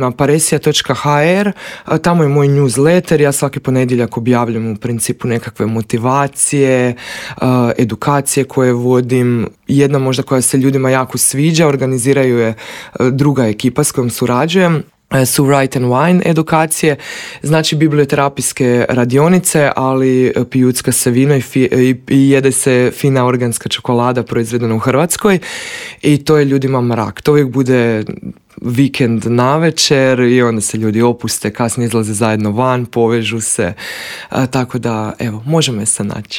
na paresija.hr, tamo je moj newsletter, ja svaki ponedjeljak objavljam u principu nekakve motivacije, edukacije koje vodim. Jedna možda koja se ljudima jako sviđa, organiziraju je druga ekipa s kojom surađujem, su Write and Wine edukacije, znači biblioterapijske radionice, ali pijucka se vino i jede se fina organska čokolada proizvedena u Hrvatskoj i to je ljudima mrak. To uvijek bude vikend navečer i onda se ljudi opuste, kasnije izlaze zajedno van, povežu se, tako da evo, možemo se naći.